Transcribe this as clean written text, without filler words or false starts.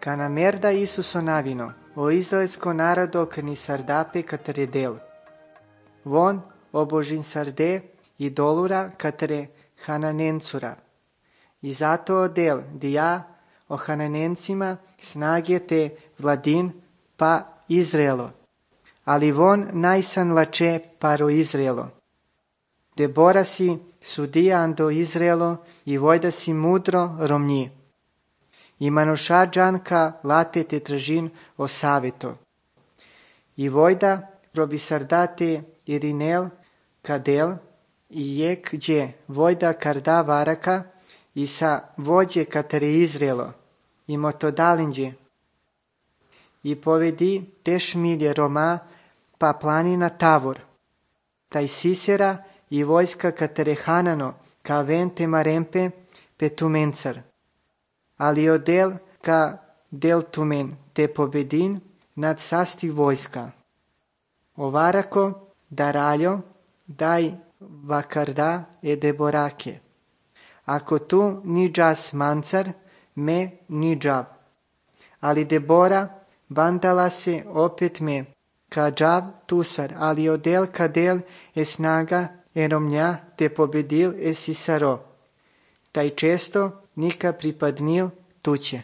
Ca na merda Isuso navino, o izraelsko narodo că ni sardape către del. Von obožin sarde idolura către Hananencura. I zato odel dija o Hananencima snage te vladin pa Izraelo. Ali von najsan lače paro Izraelo. Debora si sudija ando Izraelo i vojda si mudro romnji. I manuša džanka late te tražin o saveto. I vojda probi sardate Irinel kadel i jek dje vojda karda varaka i sa vođe katare Izraelo i motodalinđe. I povedi te šmilje Roma pa planina Tavor. Taj Sisera i vojska katare Hanano ka vente marempe petumencar. Ali odel ka del tumen te pobedin nad sasti vojska. Ovarako daraljo daj vakarda e deborake. Ako tu ni džas mancar, me ni džav. Ali Debora vandala se opet me, ka džav tusar, ali odel kadel e snaga e romnja te pobedil e Sisaro. Taj često nika pripadnil tuće.